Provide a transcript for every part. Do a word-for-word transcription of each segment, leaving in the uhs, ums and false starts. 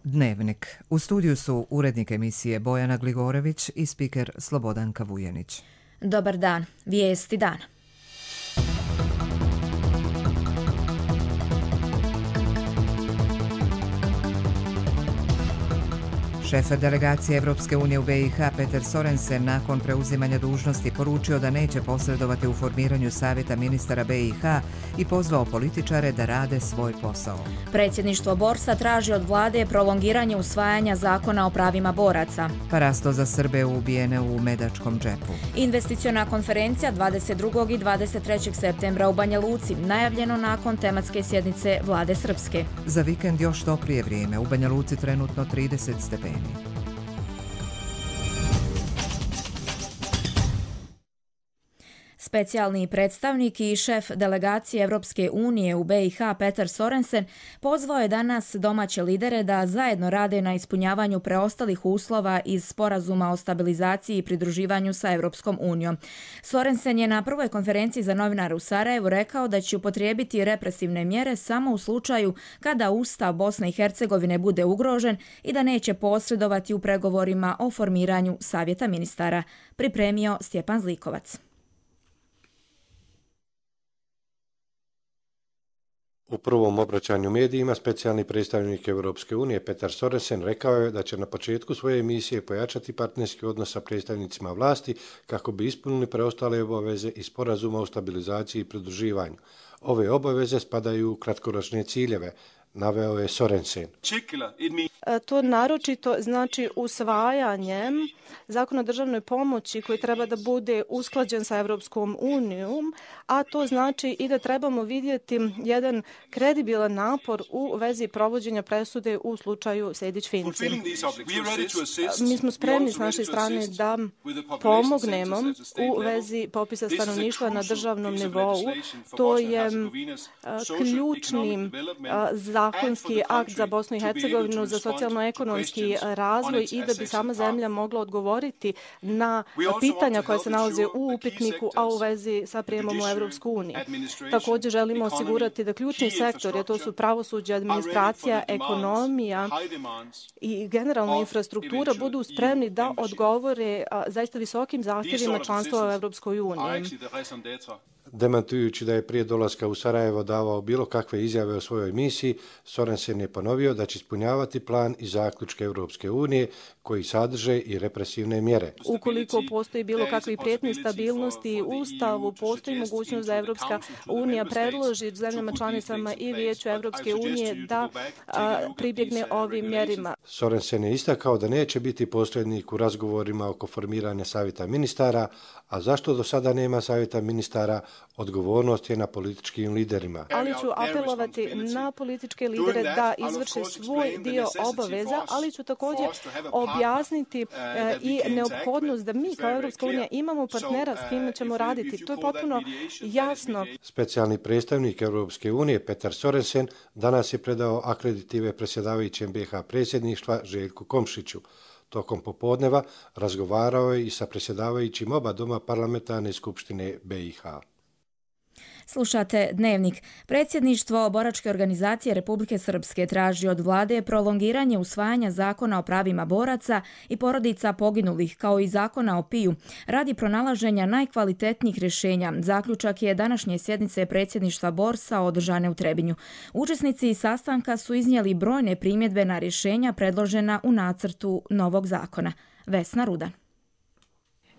Dnevnik. U studiju su urednik emisije Bojana Gligorević i spiker Slobodanka Vujenić. Dobar dan. Vijesti dana. Šef delegacije Evropske unije u B i H Peter Sorensen nakon preuzimanja dužnosti poručio da neće posredovati u formiranju savjeta ministara B i H i pozvao političare da rade svoj posao. Predsjedništvo Borsa traži od vlade prolongiranje usvajanja zakona o pravima boraca. Parasto za Srbe ubijene u Medačkom džepu. Investiciona konferencija dvadeset drugog i dvadeset trećeg septembra u Banja Luci, najavljeno nakon tematske sjednice vlade Srpske. Za vikend još toplije vrijeme, u Banja Luci trenutno trideset stepeni. Specijalni predstavnik i šef delegacije Evropske unije u B i H Peter Sorensen pozvao je danas domaće lidere da zajedno rade na ispunjavanju preostalih uslova iz sporazuma o stabilizaciji i pridruživanju sa Evropskom unijom. Sorensen je na prvoj konferenciji za novinare u Sarajevu rekao da će upotrijebiti represivne mjere samo u slučaju kada Ustav Bosne i Hercegovine bude ugrožen i da neće posredovati u pregovorima o formiranju savjeta ministara, pripremio Stjepan Zlikovac. U prvom obraćanju medijima specijalni predstavnik Europske unije Peter Sorensen rekao je da će na početku svoje misije pojačati partnerski odnos sa predstavnicima vlasti kako bi ispunili preostale obaveze iz sporazuma o stabilizaciji i pridruživanju. Ove obaveze spadaju u kratkoročne ciljeve, naveo je Sorensen. To naročito znači usvajanjem zakona o državnoj pomoći koji treba da bude usklađen sa Evropskom unijom, a to znači i da trebamo vidjeti jedan kredibilan napor u vezi provođenja presude u slučaju Sejdić-Finci. Mi smo spremni s naše strane da pomognemo u vezi popisa stanovništva na državnom nivou. To je ključni zakonski akt za Bosnu i Hercegovinu, za socijalno-ekonomski razvoj i da bi sama zemlja mogla odgovoriti na pitanja koja se nalaze u upitniku, a u vezi sa prijemom u Evropsku uniju. Također želimo osigurati da ključni sektori, a to su pravosuđe, administracija, ekonomija i generalna infrastruktura, budu spremni da odgovore zaista visokim zahtjevima članstva u Evropskoj uniji. Demantujući da je prije dolaska u Sarajevo davao bilo kakve izjave o svojoj misiji, Sorensen je ponovio da će ispunjavati plan i zaključke Europske unije koji sadrže i represivne mjere. Ukoliko postoji bilo kakvi prijetnji stabilnosti u Ustavu, postoji mogućnost da Evropska unija predloži zemljama članicama i Vijeću Evropske unije da a, pribjegne ovim mjerima. Sorensen je istakao da neće biti posrednik u razgovorima oko formiranja savjeta ministara, a zašto do sada nema savjeta ministara, odgovornost je na političkim liderima. Ali ću apelovati na političke lidere da izvrše svoj dio obaveza, ali ću također objasniti e, i neophodnost da mi kao Evropska unija imamo partnera s kime ćemo raditi. To je potpuno jasno. Specijalni predstavnik Evropske unije Peter Sorensen danas je predao akreditive predsjedavajućem B i H predsjedništva Željku Komšiću. Tokom popodneva razgovarao je i sa predsjedavajućim oba doma parlamentarne skupštine B i H. Slušate Dnevnik. Predsjedništvo Boračke organizacije Republike Srpske traži od vlade prolongiranje usvajanja zakona o pravima boraca i porodica poginulih, kao i zakona o P I U, radi pronalaženja najkvalitetnijih rješenja. Zaključak je današnje sjednice predsjedništva Borsa održane u Trebinju. Učesnici sastanka su iznijeli brojne primjedbe na rješenja predložena u nacrtu novog zakona. Vesna Rudan.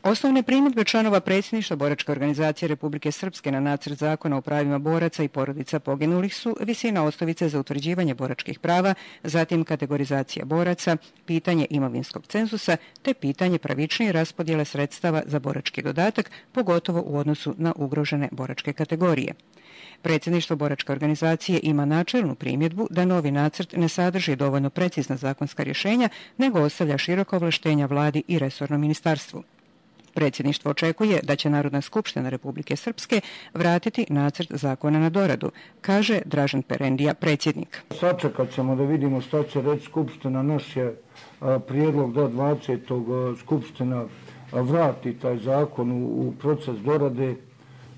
Osnovne primjedbe članova predsjedništva Boračke organizacije Republike Srpske na nacrt zakona o pravima boraca i porodica poginulih su visina osnovice za utvrđivanje boračkih prava, zatim kategorizacija boraca, pitanje imovinskog cenzusa te pitanje pravičnije raspodjele sredstava za borački dodatak, pogotovo u odnosu na ugrožene boračke kategorije. Predsjedništvo Boračke organizacije ima načelnu primjedbu da novi nacrt ne sadrži dovoljno precizna zakonska rješenja, nego ostavlja široka ovlaštenja vladi i resornom ministarstvu. Predsjedništvo očekuje da će Narodna skupština Republike Srpske vratiti nacrt zakona na doradu, kaže Dražen Perendija, predsjednik. Sačekat ćemo da vidimo šta će reći skupština. Naš je prijedlog da dvadesetog skupština vrati taj zakon u proces dorade,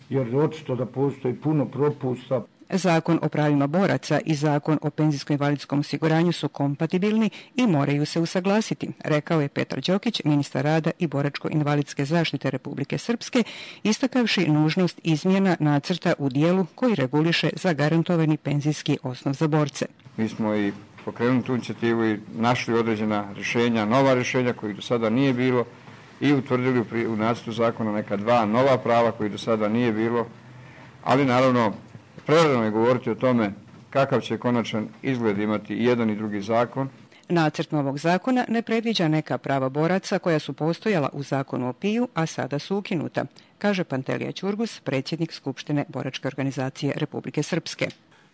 jer je očito da postoji puno propusta. Zakon o pravima boraca i Zakon o penzijsko-invalidskom osiguranju su kompatibilni i moraju se usaglasiti, rekao je Petar Đokić, ministar rada i boračko-invalidske zaštite Republike Srpske, istakavši nužnost izmjena nacrta u dijelu koji reguliše zagarantovani penzijski osnov za borce. Mi smo i pokrenuli tu inicijativu i našli određena rješenja, nova rješenja kojih do sada nije bilo i utvrdili u nacrtu zakona neka dva nova prava kojih do sada nije bilo, ali naravno prerano je govoriti o tome kakav će konačan izgled imati i jedan i drugi zakon. Nacrt novog zakona ne predviđa neka prava boraca koja su postojala u zakonu o P I U, a sada su ukinuta, kaže Pantelija Ćurgus, predsjednik Skupštine Boračke organizacije Republike Srpske.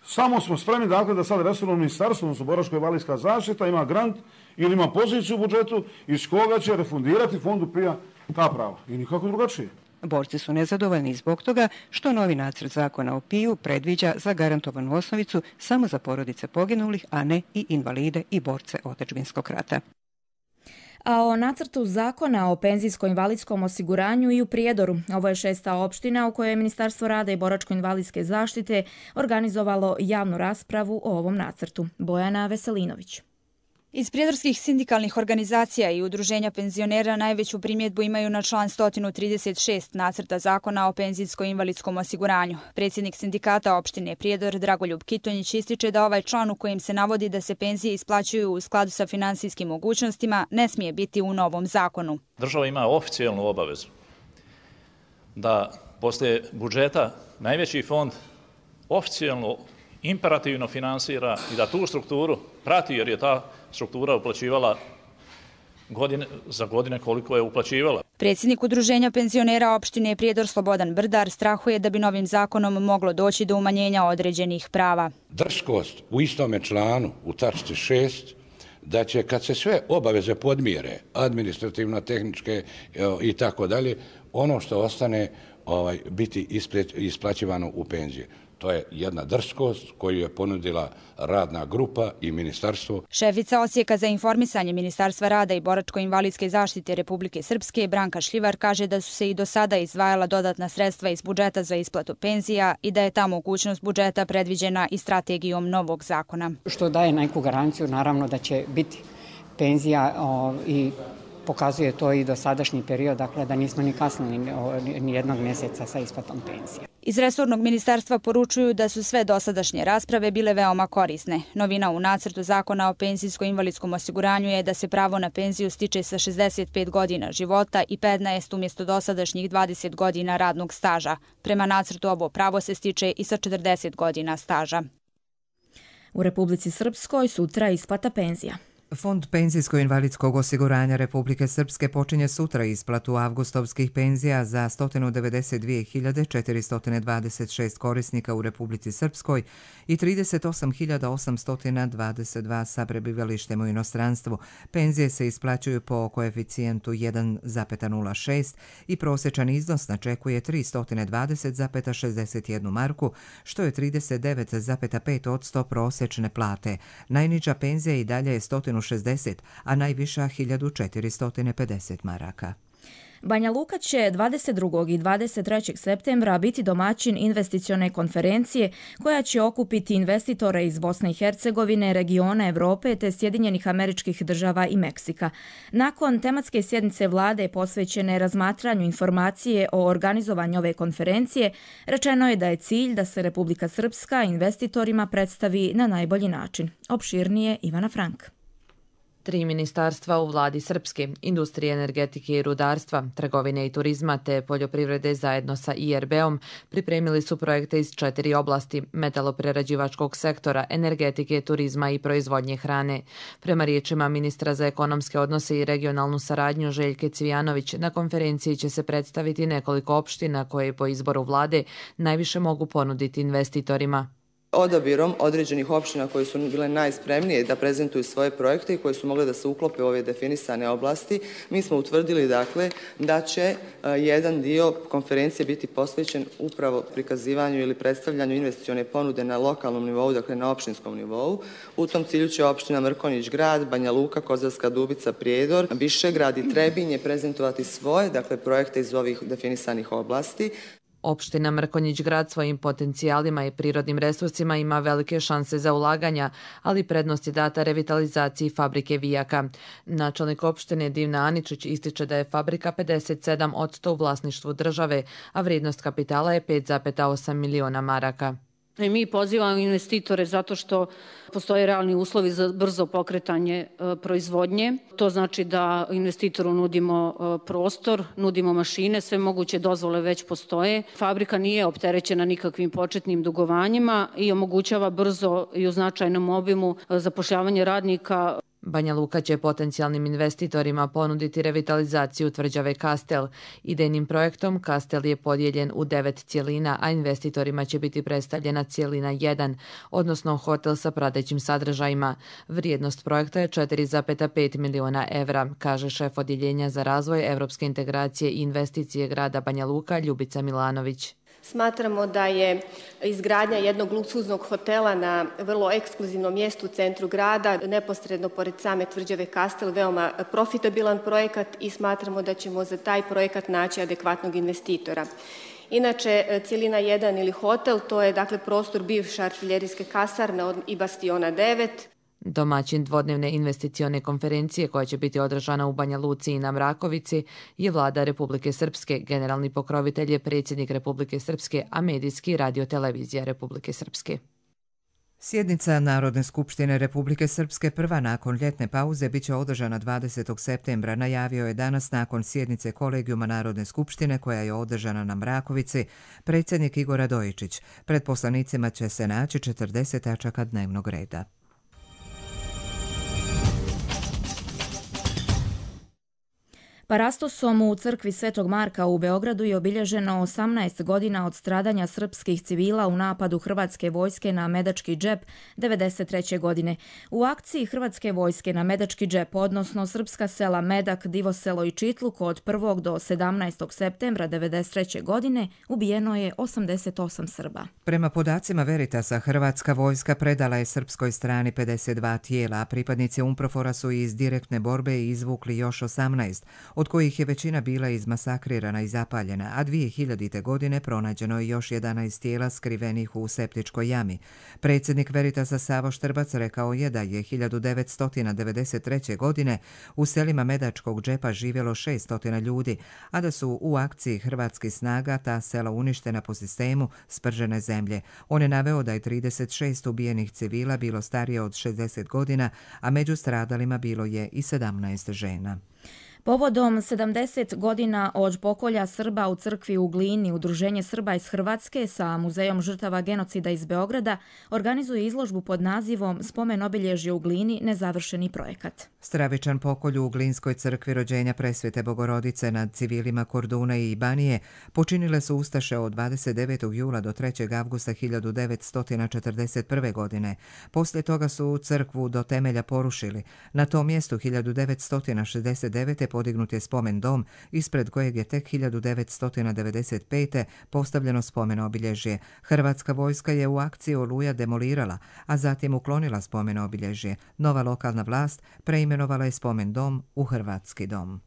Samo smo spremni dakle da sad resorno ministarstvo, odnosno boračko-invalidska zaštita, ima grant ili ima poziciju u budžetu iz koga će refundirati fondu P I A ta prava i nikako drugačije. Borci su nezadovoljni zbog toga što novi nacrt zakona o P I U predviđa zagarantovanu osnovicu samo za porodice poginulih, a ne i invalide i borce otadžbinskog rata. A o nacrtu zakona o penzijsko-invalidskom osiguranju i u Prijedoru. Ovo je šesta opština u kojoj je Ministarstvo rada i boračko-invalidske zaštite organizovalo javnu raspravu o ovom nacrtu. Bojana Veselinović. Iz prijedorskih sindikalnih organizacija i udruženja penzionera najveću primjedbu imaju na član sto trideset šest nacrta zakona o penzijsko-invalidskom osiguranju. Predsjednik sindikata opštine Prijedor Dragoljub Kitonjić ističe da ovaj član u kojem se navodi da se penzije isplaćuju u skladu sa finansijskim mogućnostima ne smije biti u novom zakonu. Država ima oficijalnu obavezu da poslije budžeta najveći fond oficijalno imperativno finansira i da tu strukturu prati, jer je ta struktura uplaćivala godine, za godine koliko je uplaćivala. Predsjednik udruženja penzionera opštine Prijedor Slobodan Brdar strahuje da bi novim zakonom moglo doći do umanjenja određenih prava. Drskost u istome članu, u tačci šest, da će kad se sve obaveze podmire, administrativno, tehničke i tako dalje, ono što ostane ovaj, biti isplaćivano u penzije. To je jedna drskost koju je ponudila radna grupa i ministarstvo. Šefica odsjeka za informisanje Ministarstva rada i boračko-invalidske zaštite Republike Srpske Branka Šljivar kaže da su se i do sada izdvajala dodatna sredstva iz budžeta za isplatu penzija i da je ta mogućnost budžeta predviđena i strategijom novog zakona. Što daje neku garanciju, naravno da će biti penzija o, i pokazuje to i do sadašnji period, dakle da nismo ni kasnili ni jednog mjeseca sa isplatom penzije. Iz resornog ministarstva poručuju da su sve dosadašnje rasprave bile veoma korisne. Novina u nacrtu zakona o penzijsko-invalidskom osiguranju je da se pravo na penziju stiče sa šezdeset pet godina života i petnaest umjesto dosadašnjih dvadeset godina radnog staža. Prema nacrtu ovo pravo se stiče i sa četrdeset godina staža. U Republici Srpskoj sutra isplata penzija. Fond penzijsko-invalidskog osiguranja Republike Srpske počinje sutra isplatu avgustovskih penzija za sto devedeset dvije hiljade četiristo dvadeset šest korisnika u Republici Srpskoj i trideset osam hiljada osamsto dvadeset dva sa prebivalištem u inostranstvu. Penzije se isplaćuju po koeficijentu jedan zarez nula šest i prosječan iznos načekuje tristo dvadeset zarez šezdeset jednu marku, što je trideset devet zarez pet posto prosječne plate. Najniža penzija i dalje je sto šezdeset, a najviša hiljadu četiristo pedeset maraka. Banja Luka će dvadeset drugog i dvadeset trećeg septembra biti domaćin investicione konferencije koja će okupiti investitore iz Bosne i Hercegovine, regiona Evrope te Sjedinjenih Američkih Država i Meksika. Nakon tematske sjednice vlade posvećene razmatranju informacije o organizovanju ove konferencije, rečeno je da je cilj da se Republika Srpska investitorima predstavi na najbolji način. Opširnije Ivana Frank. Tri ministarstva u vladi Srpske, industrije, energetike i rudarstva, trgovine i turizma te poljoprivrede zajedno sa I R B-om pripremili su projekte iz četiri oblasti metaloprerađivačkog sektora, energetike, turizma i proizvodnje hrane. Prema riječima ministra za ekonomske odnose i regionalnu saradnju Željke Cvijanović, na konferenciji će se predstaviti nekoliko opština koje po izboru vlade najviše mogu ponuditi investitorima. Odabirom određenih opština koje su bile najspremnije da prezentuju svoje projekte i koje su mogle da se uklope u ove definisane oblasti, mi smo utvrdili dakle da će jedan dio konferencije biti posvećen upravo prikazivanju ili predstavljanju investicione ponude na lokalnom nivou, dakle na opštinskom nivou. U tom cilju će opština Mrkonjić Grad, Banja Luka, Kozarska Dubica, Prijedor, Višegrad i Trebinje prezentovati svoje, dakle projekte iz ovih definisanih oblasti. Opština Mrkonjić Grad svojim potencijalima i prirodnim resursima ima velike šanse za ulaganja, ali prednost je data revitalizaciji fabrike vijaka. Načelnik opštine Divna Aničić ističe da je fabrika pedeset sedam posto u vlasništvu države, a vrijednost kapitala je pet zarez osam miliona maraka. I mi pozivamo investitore zato što postoje realni uslovi za brzo pokretanje e, proizvodnje. To znači da investitoru nudimo e, prostor, nudimo mašine, sve moguće dozvole već postoje. Fabrika nije opterećena nikakvim početnim dugovanjima i omogućava brzo i u značajnom obimu e, zapošljavanje radnika. Banja Luka će potencijalnim investitorima ponuditi revitalizaciju tvrđave Kastel. Idejnim projektom Kastel je podijeljen u devet cijelina, a investitorima će biti predstavljena cijelina jedan, odnosno hotel sa pratećim sadržajima. Vrijednost projekta je četiri zarez pet miliona evra, kaže šef odjeljenja za razvoj evropske integracije i investicije grada Banja Luka Ljubica Milanović. Smatramo da je izgradnja jednog luksuznog hotela na vrlo ekskluzivnom mjestu u centru grada, neposredno pored same tvrđave Kastel, veoma profitabilan projekat i smatramo da ćemo za taj projekat naći adekvatnog investitora. Inače, cijelina jedan ili hotel, to je dakle prostor bivše artiljerijske kasarne i bastiona devet. Domaćin dvodnevne investicione konferencije koja će biti održana u Banja Luci i na Mrakovici je vlada Republike Srpske, generalni pokrovitelj je predsjednik Republike Srpske, a medijski radio-televizija Republike Srpske. Sjednica Narodne skupštine Republike Srpske prva nakon ljetne pauze biće održana dvadesetog septembra, najavio je danas nakon sjednice Kolegijuma Narodne skupštine koja je održana na Mrakovici predsjednik Igor Radojičić. Pred poslanicima će se naći četrdeset tačaka dnevnog reda. Parastosom u crkvi Svetog Marka u Beogradu je obilježeno osamnaest godina od stradanja srpskih civila u napadu hrvatske vojske na Medački džep devedeset treće godine. U akciji hrvatske vojske na Medački džep, odnosno srpska sela Medak, Divoselo i Čitluk od prvog do sedamnaestog septembra devedeset treće godine ubijeno je osamdeset osam Srba. Prema podacima Veritasa, hrvatska vojska predala je srpskoj strani pedeset dva tijela, a pripadnici UNPROFOR-a su iz direktne borbe izvukli još osamnaest, od kojih je većina bila izmasakrirana i zapaljena, a dvije hiljadite godine pronađeno je još jedanaest tijela skrivenih u septičkoj jami. Predsjednik Veritasa Savo Štrbac rekao je da je hiljadu devetsto devedeset treće. godine u selima Medačkog džepa živjelo šesto ljudi, a da su u akciji hrvatskih snaga ta sela uništena po sistemu spržene zemlje. On je naveo da je trideset šest ubijenih civila bilo starije od šezdeset godina, a među stradalima bilo je i sedamnaest žena. Povodom sedamdeset godina od pokolja Srba u crkvi u Glini, Udruženje Srba iz Hrvatske sa Muzejom žrtava genocida iz Beograda organizuje izložbu pod nazivom Spomen obilježje u Glini, nezavršeni projekat. Stravičan pokolj u Glinskoj crkvi rođenja Presvete Bogorodice nad civilima Korduna i Banije počinile su ustaše od dvadeset devetog jula do trećeg avgusta hiljadu devetsto četrdeset prve. godine. Poslije toga su crkvu do temelja porušili. Na tom mjestu hiljadu devetsto šezdeset devete. podignut je spomen dom, ispred kojeg je tek hiljadu devetsto devedeset pete. postavljeno spomen obilježje. Hrvatska vojska je u akciji Oluja demolirala, a zatim uklonila spomen obilježje. Nova lokalna vlast preimenovala je spomen dom u Hrvatski dom.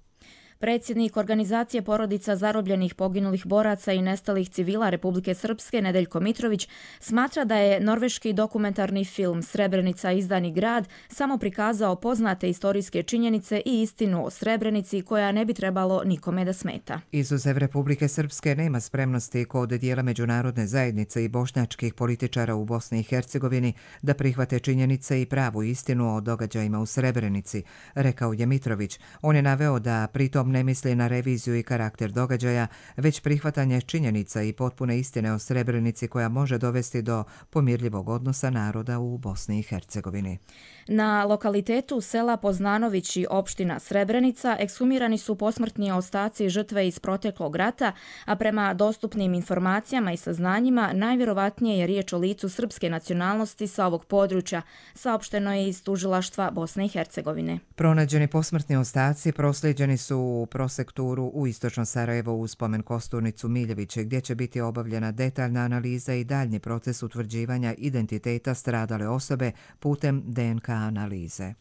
Predsjednik organizacije porodica zarobljenih, poginulih boraca i nestalih civila Republike Srpske Nedeljko Mitrović smatra da je norveški dokumentarni film Srebrenica izdani grad samo prikazao poznate istorijske činjenice i istinu o Srebrenici koja ne bi trebalo nikome da smeta. Izuzev Republike Srpske nema spremnosti kod dijela međunarodne zajednice i bošnjačkih političara u Bosni i Hercegovini da prihvate činjenice i pravu istinu o događajima u Srebrenici, rekao je Mitrović. On je naveo da pritom ne misli na reviziju i karakter događaja, već prihvatanje činjenica i potpune istine o Srebrenici koja može dovesti do pomirljivog odnosa naroda u Bosni i Hercegovini. Na lokalitetu sela Poznanović i opština Srebrenica ekshumirani su posmrtni ostaci žrtve iz proteklog rata, a prema dostupnim informacijama i saznanjima najvjerovatnije je riječ o licu srpske nacionalnosti sa ovog područja, saopšteno je iz tužilaštva Bosne i Hercegovine. Pronađeni posmrtni ostaci proslijeđeni su u prosekturu u istočno Sarajevo u spomen kosturnicu Miljeviće, gdje će biti obavljena detaljna analiza i daljnji proces utvrđivanja identiteta stradale osobe putem D N K analize.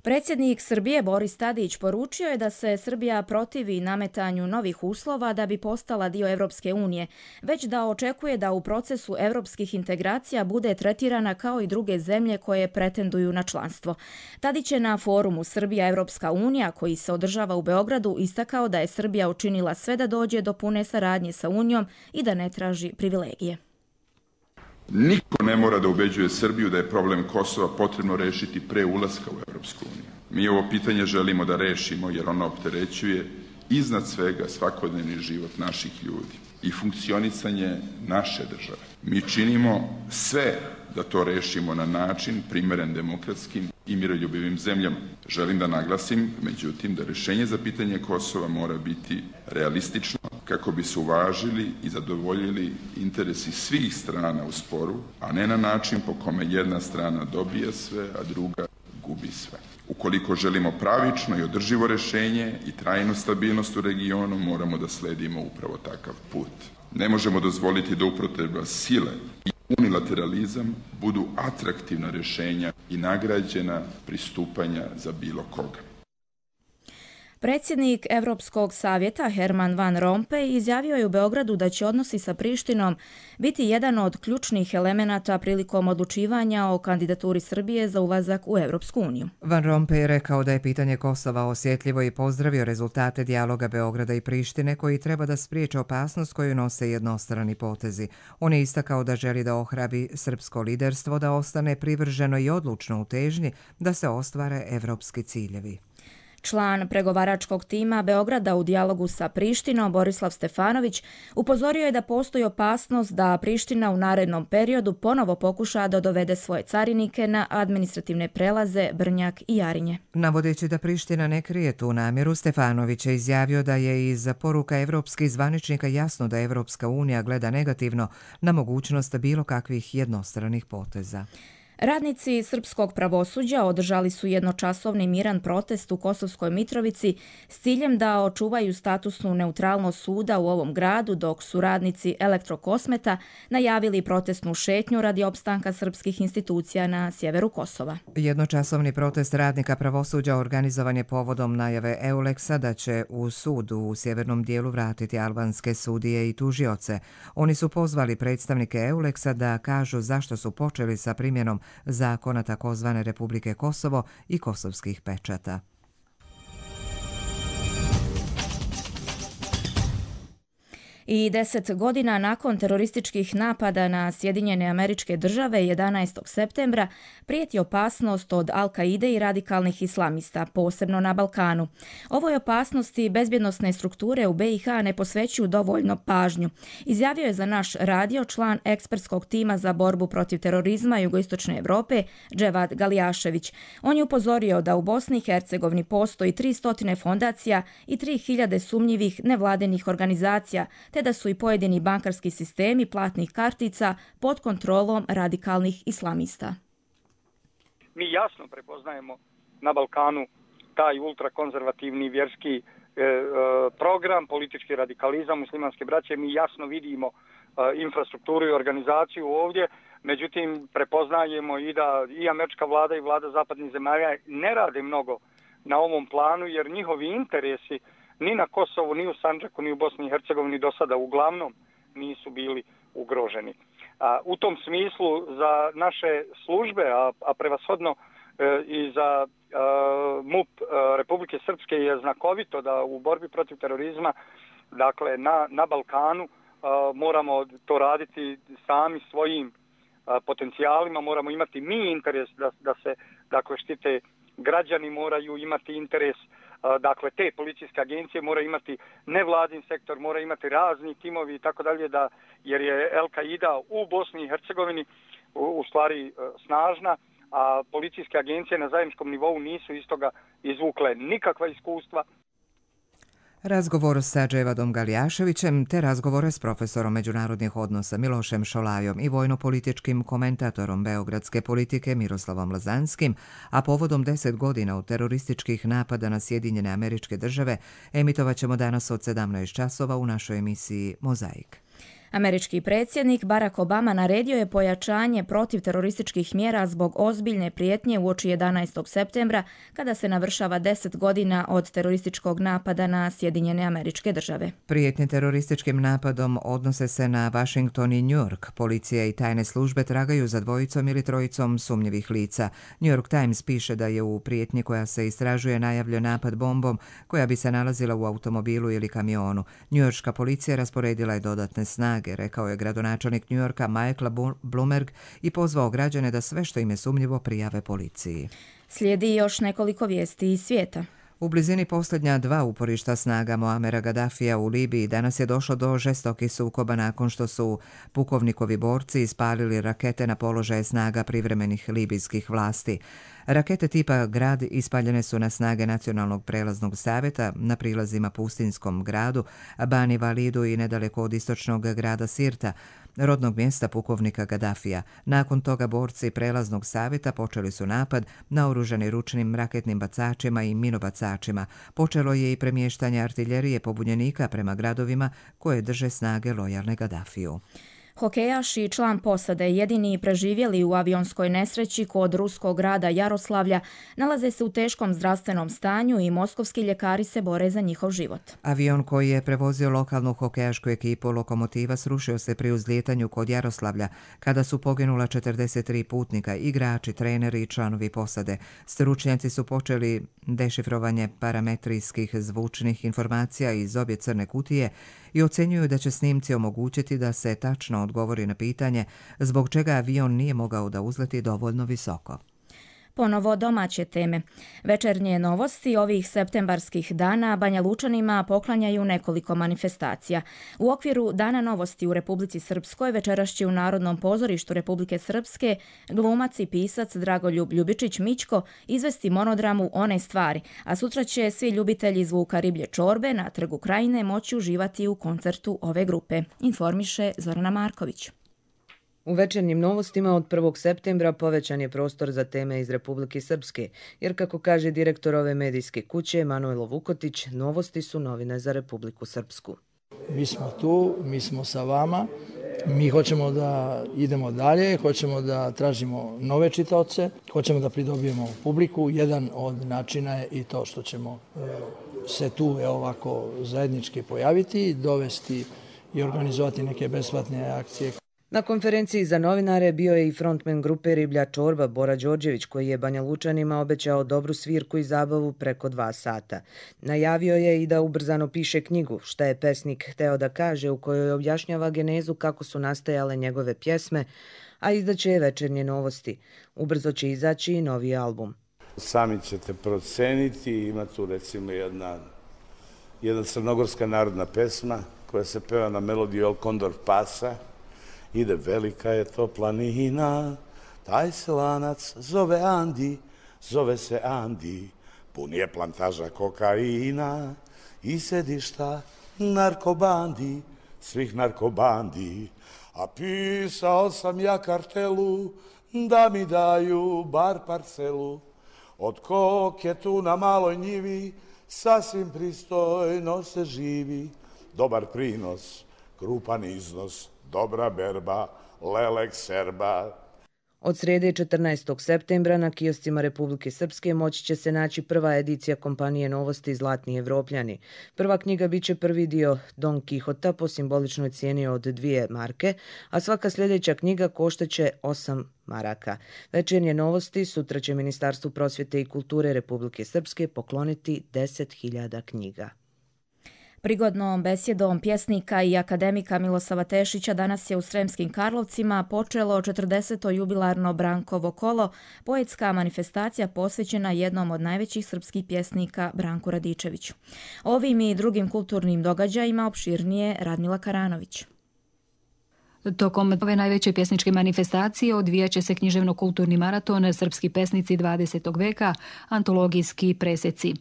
Predsjednik Srbije Boris Tadić poručio je da se Srbija protivi nametanju novih uslova da bi postala dio Evropske unije, već da očekuje da u procesu evropskih integracija bude tretirana kao i druge zemlje koje pretenduju na članstvo. Tadić je na forumu Srbija Evropska unija, koji se održava u Beogradu, istakao da je Srbija učinila sve da dođe do pune saradnje sa Unijom i da ne traži privilegije. Niko ne mora da ubeđuje Srbiju da je problem Kosova potrebno rešiti pre ulaska u Evropsku uniju. Mi ovo pitanje želimo da rešimo jer ono opterećuje iznad svega svakodnevni život naših ljudi i funkcionisanje naše države. Mi činimo sve da to rešimo na način primeren demokratskim i miroljubivim zemljama. Želim da naglasim, međutim, da rešenje za pitanje Kosova mora biti realistično kako bi se uvažili i zadovoljili interesi svih strana u sporu, a ne na način po kome jedna strana dobija sve, a druga gubi sve. Ukoliko želimo pravično i održivo rešenje i trajnu stabilnost u regionu, moramo da sledimo upravo takav put. Ne možemo dozvoliti da upotreba sile i unilateralizam budu atraktivna rešenja i nagrađena pristupanja za bilo koga. Predsjednik Evropskog savjeta Herman Van Rompuy izjavio je u Beogradu da će odnosi sa Prištinom biti jedan od ključnih elemenata prilikom odlučivanja o kandidaturi Srbije za ulazak u Evropsku uniju. Van Rompuy je rekao da je pitanje Kosova osjetljivo i pozdravio rezultate dijaloga Beograda i Prištine koji treba da spriječe opasnost koju nose jednostrani potezi. On je istakao da želi da ohrabri srpsko liderstvo da ostane privrženo i odlučno u težnji da se ostvare evropski ciljevi. Član pregovaračkog tima Beograda u dijalogu sa Prištinom, Borislav Stefanović, upozorio je da postoji opasnost da Priština u narednom periodu ponovo pokuša da dovede svoje carinike na administrativne prelaze Brnjak i Jarinje. Navodeći da Priština ne krije tu namjeru, Stefanović je izjavio da je iz poruka evropskih zvaničnika jasno da Evropska unija gleda negativno na mogućnost bilo kakvih jednostranih poteza. Radnici srpskog pravosuđa održali su jednočasovni miran protest u Kosovskoj Mitrovici s ciljem da očuvaju statusnu neutralnost suda u ovom gradu, dok su radnici Elektrokosmeta najavili protestnu šetnju radi opstanka srpskih institucija na sjeveru Kosova. Jednočasovni protest radnika pravosuđa organizovan je povodom najave Euleksa da će u sud u sjevernom dijelu vratiti albanske sudije i tužioce. Oni su pozvali predstavnike Euleksa da kažu zašto su počeli sa primjenom zakona takozvane Republike Kosovo i kosovskih pečata. I deset godina nakon terorističkih napada na Sjedinjene Američke Države jedanaestog septembra prijeti opasnost od Al-Kaide i radikalnih islamista, posebno na Balkanu. Ovoj opasnosti bezbjednosne strukture u be i ha ne posvećuju dovoljno pažnju, izjavio je za naš radio član ekspertskog tima za borbu protiv terorizma Jugoistočne Evrope, Dževad Galijašević. On je upozorio da u Bosni i Hercegovini postoji tristo fondacija i tri hiljade sumnjivih nevladenih organizacija, te da su i pojedini bankarski sistemi platnih kartica pod kontrolom radikalnih islamista. Mi jasno prepoznajemo na Balkanu taj ultrakonzervativni vjerski e, e, program, politički radikalizam muslimanske braće. Mi jasno vidimo e, infrastrukturu i organizaciju ovdje, međutim prepoznajemo i da i američka vlada i vlada zapadnih zemalja ne rade mnogo na ovom planu, jer njihovi interesi ni na Kosovu, ni u Sandžaku, ni u Bosni i Hercegovini do sada uglavnom nisu bili ugroženi. A, u tom smislu za naše službe, a, a prevashodno e, i za e, MUP e, Republike Srpske je znakovito da u borbi protiv terorizma, dakle na, na Balkanu, e, moramo to raditi sami svojim e, potencijalima, moramo imati mi interes da, da se dakle, štite građani, moraju imati interes. Dakle, te policijske agencije moraju imati nevladin sektor, moraju imati razni timovi i tako dalje, da, jer je Al-Kaida u Bosni i Hercegovini u, u stvari snažna, a policijske agencije na zajedničkom nivou nisu iz toga izvukle nikakva iskustva. Razgovor sa Dževadom Galijaševićem te razgovore s profesorom međunarodnih odnosa Milošem Šolajom i vojno-političkim komentatorom beogradske politike Miroslavom Lazanskim, a povodom deset godina od terorističkih napada na Sjedinjene Američke Države, emitovat ćemo danas od sedamnaest časova u našoj emisiji Mozaik. Američki predsjednik Barack Obama naredio je pojačanje protiv terorističkih mjera zbog ozbiljne prijetnje uoči jedanaestog septembra, kada se navršava deset godina od terorističkog napada na Sjedinjene Američke Države. Prijetnje terorističkim napadom odnose se na Washington i New York. Policija i tajne službe tragaju za dvojicom ili trojicom sumnjivih lica. New York Times piše da je u prijetnji koja se istražuje najavljen napad bombom koja bi se nalazila u automobilu ili kamionu. Njujorška policija rasporedila je dodatne snage, rekao je gradonačelnik New Yorka Michael Bloomberg i pozvao građane da sve što im je sumnjivo prijave policiji. Slijedi još nekoliko vijesti iz svijeta. U blizini posljednja dva uporišta snaga Muamera Gaddafija u Libiji danas je došlo do žestokih sukoba nakon što su pukovnikovi borci ispalili rakete na položaje snaga privremenih libijskih vlasti. Rakete tipa Grad ispaljene su na snage Nacionalnog prelaznog savjeta na prilazima Pustinskom gradu, Bani Validu i nedaleko od istočnog grada Sirta, rodnog mjesta pukovnika Gaddafija. Nakon toga borci prelaznog savjeta počeli su napad naoružani ručnim raketnim bacačima i minobacačima. Počelo je i premještanje artiljerije pobunjenika prema gradovima koje drže snage lojalne Gaddafiju. Hokejaš i član posade, jedini preživjeli u avionskoj nesreći kod ruskog grada Jaroslavlja, nalaze se u teškom zdravstvenom stanju i moskovski ljekari se bore za njihov život. Avion koji je prevozio lokalnu hokejašku ekipu Lokomotiva srušio se pri uzlijetanju kod Jaroslavlja, kada su poginula četrdeset tri putnika, igrači, treneri i članovi posade. Stručnjaci su počeli dešifrovanje parametrijskih zvučnih informacija iz obje crne kutije i ocjenjuju da će snimci omogućiti da se tačno odgovori na pitanje zbog čega avion nije mogao da uzleti dovoljno visoko. Ponovo domaće teme. Večernje novosti ovih septembarskih dana Banja Lučanima poklanjaju nekoliko manifestacija. U okviru Dana novosti u Republici Srpskoj večeras će u Narodnom pozorištu Republike Srpske glumac i pisac Dragoljub Ljubičić Mićko izvesti monodramu One stvari, a sutra će svi ljubitelji zvuka riblje čorbe na Trgu Krajine moći uživati u koncertu ove grupe, informiše Zorana Marković. U večernjim novostima od prvog septembra povećan je prostor za teme iz Republike Srpske, jer kako kaže direktor ove medijske kuće Manojlo Vukotić, novosti su novine za Republiku Srpsku. Mi smo tu, mi smo sa vama, mi hoćemo da idemo dalje, hoćemo da tražimo nove čitaoce, hoćemo da pridobijemo publiku. Jedan od načina je i to što ćemo se tu ovako zajednički pojaviti, dovesti i organizovati neke besplatne akcije. Na konferenciji za novinare bio je i frontmen grupe Riblja čorba Bora Đorđević, koji je Banja Lučanima obećao dobru svirku i zabavu preko dva sata. Najavio je i da ubrzano piše knjigu Šta je pesnik hteo da kaže, u kojoj objašnjava genezu kako su nastajale njegove pjesme, a izdaće je večernje novosti. Ubrzo će izaći i novi album. Sami ćete proceniti, ima tu recimo jedna, jedna crnogorska narodna pesma koja se peva na melodiju El Condor Pasa. Ide velika je to planina, taj se lanac zove Andi, zove se Andi, pun je plantaža kokaina i sedišta narkobandi, svih narkobandi. A pisao sam ja kartelu da mi daju bar parcelu, od koke tu na maloj njivi sasvim pristojno se živi, dobar prinos, krupan iznos, dobra berba, lelek serba. Od srede četrnaestog septembra na kioscima Republike Srpske moći će se naći prva edicija kompanije Novosti Zlatni Evropljani. Prva knjiga biće prvi dio Don Kihota po simboličnoj cijeni od dvije marke, a svaka sljedeća knjiga koštaće osam maraka. Večernje novosti sutra će Ministarstvu prosvjete i kulture Republike Srpske pokloniti deset hiljada knjiga. Prigodnom besjedom pjesnika i akademika Milosava Tešića danas je u Sremskim Karlovcima počelo četrdeseto jubilarno Brankovo kolo, poetska manifestacija posvećena jednom od najvećih srpskih pjesnika Branku Radičeviću. Ovim i drugim kulturnim događajima opširnije Radmila Karanović. Tokom ove najveće pjesničke manifestacije odvijat će se književno-kulturni maraton Srpski pesnici dvadesetog veka, antologijski preseci.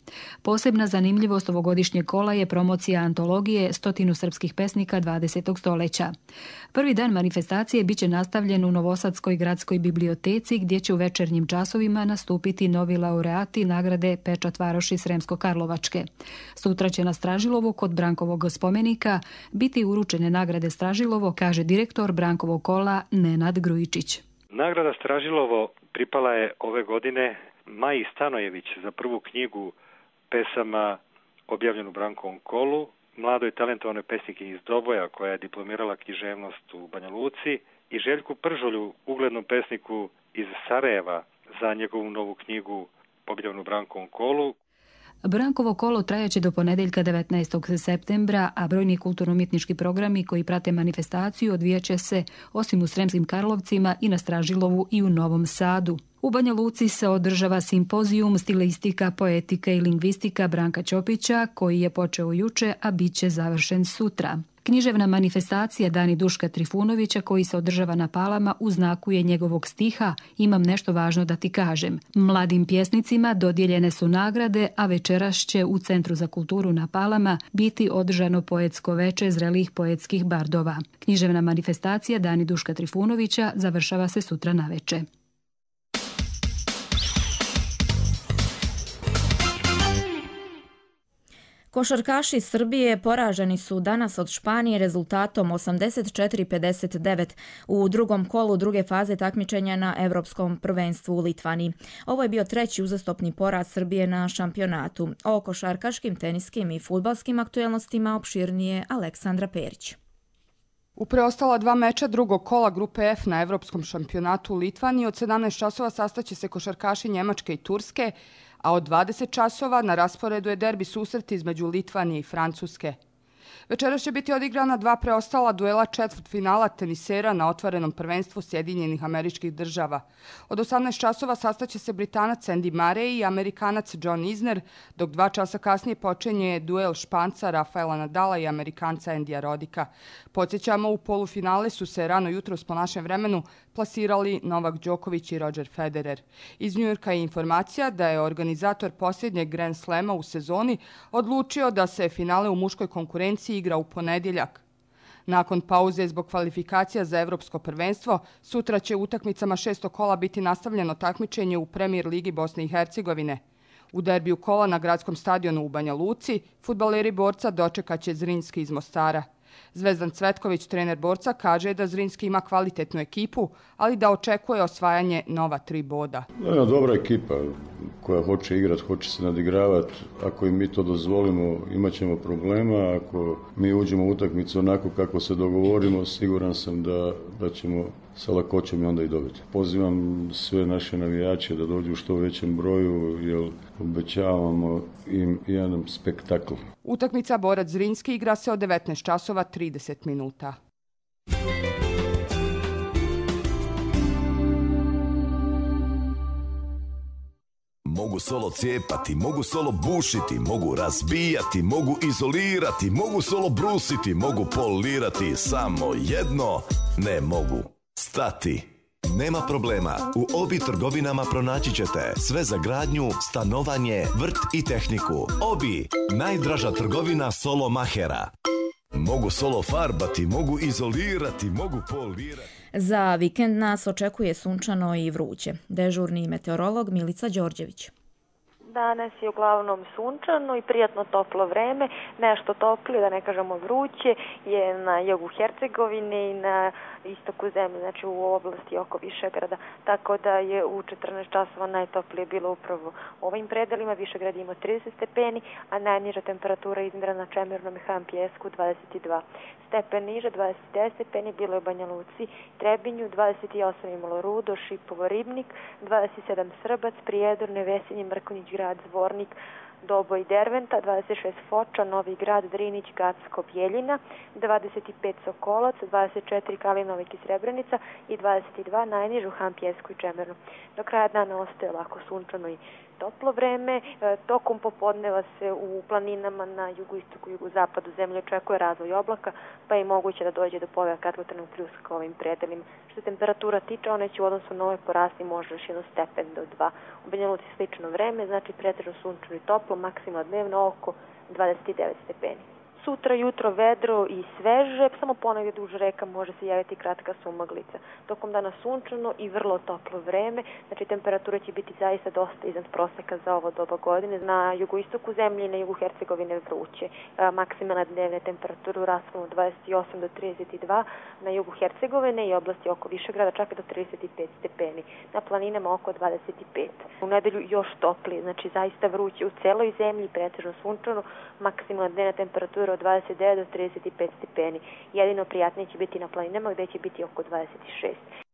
Posebna zanimljivost ovogodišnjeg kola je promocija antologije Stotinu srpskih pesnika dvadesetog stoljeća. Prvi dan manifestacije biće nastavljen u Novosadskoj gradskoj biblioteci gdje će u večernjim časovima nastupiti novi laureati nagrade Pečat Varoši Sremsko-Karlovačke. Sutra će na Stražilovu kod Brankovog spomenika biti uručene nagrade Stražilovo, kaže direktor Brankovog kola Nenad Grujičić. Nagrada Stražilovo pripala je ove godine Maji Stanojević za prvu knjigu pesama objavljenu u Brankovom kolu, mladoj talentovanoj pesnikinji iz Doboja koja je diplomirala književnost u Banja Luci, i Željku Pržolju, uglednom pesniku iz Sarajeva, za njegovu novu knjigu objavljenu u Brankovom kolu. Brankovo kolo trajaće do ponedeljka devetnaestog septembra, a brojni kulturno-umjetnički programi koji prate manifestaciju odvijaće se osim u Sremskim Karlovcima i na Stražilovu i u Novom Sadu. U Banja Luci se održava simpozijum Stilistika, poetika i lingvistika Branka Ćopića, koji je počeo juče, a bit će završen sutra. Književna manifestacija Dani Duška Trifunovića, koji se održava na Palama, u znaku je njegovog stiha Imam nešto važno da ti kažem. Mladim pjesnicima dodijeljene su nagrade, a večeras će u Centru za kulturu na Palama biti održano poetsko veče zrelih poetskih bardova. Književna manifestacija Dani Duška Trifunovića završava se sutra naveče. Košarkaši Srbije poraženi su danas od Španije rezultatom osamdeset četiri pedeset devet u drugom kolu druge faze takmičenja na Evropskom prvenstvu u Litvani. Ovo je bio treći uzastopni poraz Srbije na šampionatu. O košarkaškim, teniskim i fudbalskim aktuelnostima opširnije Aleksandra Perić. U preostala dva meča drugog kola grupe F na Evropskom šampionatu u Litvani od sedamnaest časova sastaće se košarkaši Njemačke i Turske, a od dvadeset časova na rasporedu je derbi susret između Litvanije i Francuske. Večeras će biti odigrana dva preostala duela četvrtfinala tenisera na otvorenom prvenstvu Sjedinjenih Američkih Država. Od osamnaest časova sastaće se Britanac Andy Murray i Amerikanac John Isner, dok dva časa kasnije počinje duel Španca Rafaela Nadala i Amerikanca Andija Rodika. Podsjećamo, u polufinale su se rano jutros po našem vremenu plasirali Novak Đoković i Roger Federer. Iz Njujorka je informacija da je organizator posljednjeg Grand Slema u sezoni odlučio da se finale u muškoj konkurenciji igra u ponedjeljak. Nakon pauze zbog kvalifikacija za Evropsko prvenstvo, sutra će utakmicama šestog kola biti nastavljeno takmičenje u Premier ligi Bosne i Hercegovine. U derbiju kola na gradskom stadionu u Banja Luci, fudbaleri Borca dočekaće Zrinski iz Mostara. Zvezdan Cvetković, trener Borca, kaže da Zrinski ima kvalitetnu ekipu, ali da očekuje osvajanje nova tri boda. Jedna dobra ekipa koja hoće igrati, hoće se nadigravati. Ako im mi to dozvolimo, imat ćemo problema. Ako mi uđemo u utakmicu onako kako se dogovorimo, siguran sam da, da ćemo sa lakoćem i onda i dobiti. Pozivam sve naše navijače da dođu u što većem broju, jer obećavamo im jedan spektakl. Utakmica Borac Zrinski igra se od devetnaest časova trideset minuta. Mogu solo cijepati, mogu solo bušiti, mogu razbijati, mogu izolirati, mogu solo brusiti, mogu polirati, samo jedno ne mogu stati. Nema problema, u Obi trgovinama pronaći ćete sve za gradnju, stanovanje, vrt i tehniku. Obi, najdraža trgovina solo mahera. Mogu solo farbati, mogu izolirati, mogu polirati. Za vikend nas očekuje sunčano i vruće. Dežurni meteorolog Milica Đorđević. Danas je uglavnom sunčano i prijatno toplo vreme, nešto toplije, da ne kažemo vruće, je na jugu Hercegovine i na istoku zemlje, znači u oblasti oko Višegrada, tako da je u četrnaest časova najtoplije bilo upravo u ovim predelima. Višegrad ima trideset stepeni, a najniža temperatura izmjerena na Čemernom i Han Pjesku dvadeset dva stepen niže, dvadeset devet stepeni bilo je u Banja Luci, Trebinju, dvadeset osam imalo Rudo, Šipovo, Ribnik, dvadeset sedam Srbac, Prijedor, Nevesinje, Mrkonjić grad, Zvornik, Doboj, Derventa, dvadeset šest Foča, Novi grad, Drinić, Gacko, Bjeljina, dvadeset pet Sokolac, dvadeset četiri Kalinovik i Srebrenica i dvadeset dva najnižu Han Pjesku i Čemernu. Do kraja dana ostaje lako sunčano i toplo vreme. Tokom popodneva se u planinama na jugoistoku i jugozapadu zemlje očekuje razvoj oblaka, pa je moguće da dođe do pojava kratkotrajnog pljuska ovim predelima. Što se temperatura tiče, one će u odnosu na ove porasti možda još jedan stepen do dva. U Banja Luci slično vreme, znači pretežno sunčano i toplo, maksimalno dnevno oko dvadeset devet stepeni. Sutra jutro vedro i sveže, samo ponegdje duž reka može se javiti kratka sumaglica. Tokom dana sunčano i vrlo toplo vreme, znači temperatura će biti zaista dosta iznad proseka za ovo doba godine. Na jugoistoku zemlje i na jugu Hercegovine vruće. Maksimalna dnevna temperatura u rasponu dvadeset osam do trideset dva, na jugu Hercegovine i oblasti oko Višegrada čak do trideset pet stepeni. Na planinama oko dvadeset pet. U nedelju još toplije, znači zaista vruće u celoj zemlji, pretežno sunčano, maksimalna dnevna temperatura od dvadeset devet do trideset pet stepeni. Jedino prijatnije će biti na planinama gdje će biti oko dvadeset šest.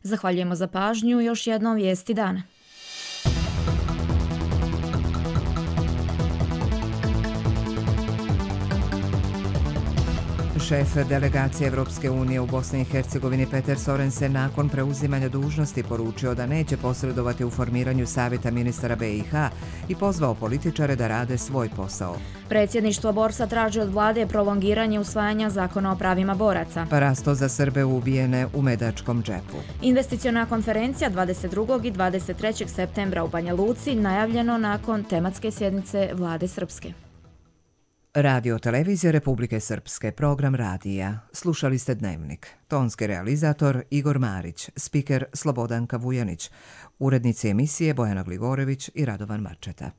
Zahvaljujemo za pažnju. Još jednom vijesti dana. Šef delegacije Evropske unije u Bosni i Hercegovini Peter Sorensen nakon preuzimanja dužnosti poručio da neće posredovati u formiranju Savjeta ministara B i H i pozvao političare da rade svoj posao. Predsjedništvo Borsa traži od vlade prolongiranje usvajanja zakona o pravima boraca. Parasto za Srbe ubijene u Medačkom džepu. Investiciona konferencija dvadeset drugog i dvadeset trećeg septembra u Banja Luci najavljeno nakon tematske sjednice vlade Srpske. Radio Televizija Republike Srpske, program radija. Slušali ste Dnevnik. Tonski realizator Igor Marić, spiker Slobodanka Vujanić, urednici emisije Bojana Gligorević i Radovan Marčeta.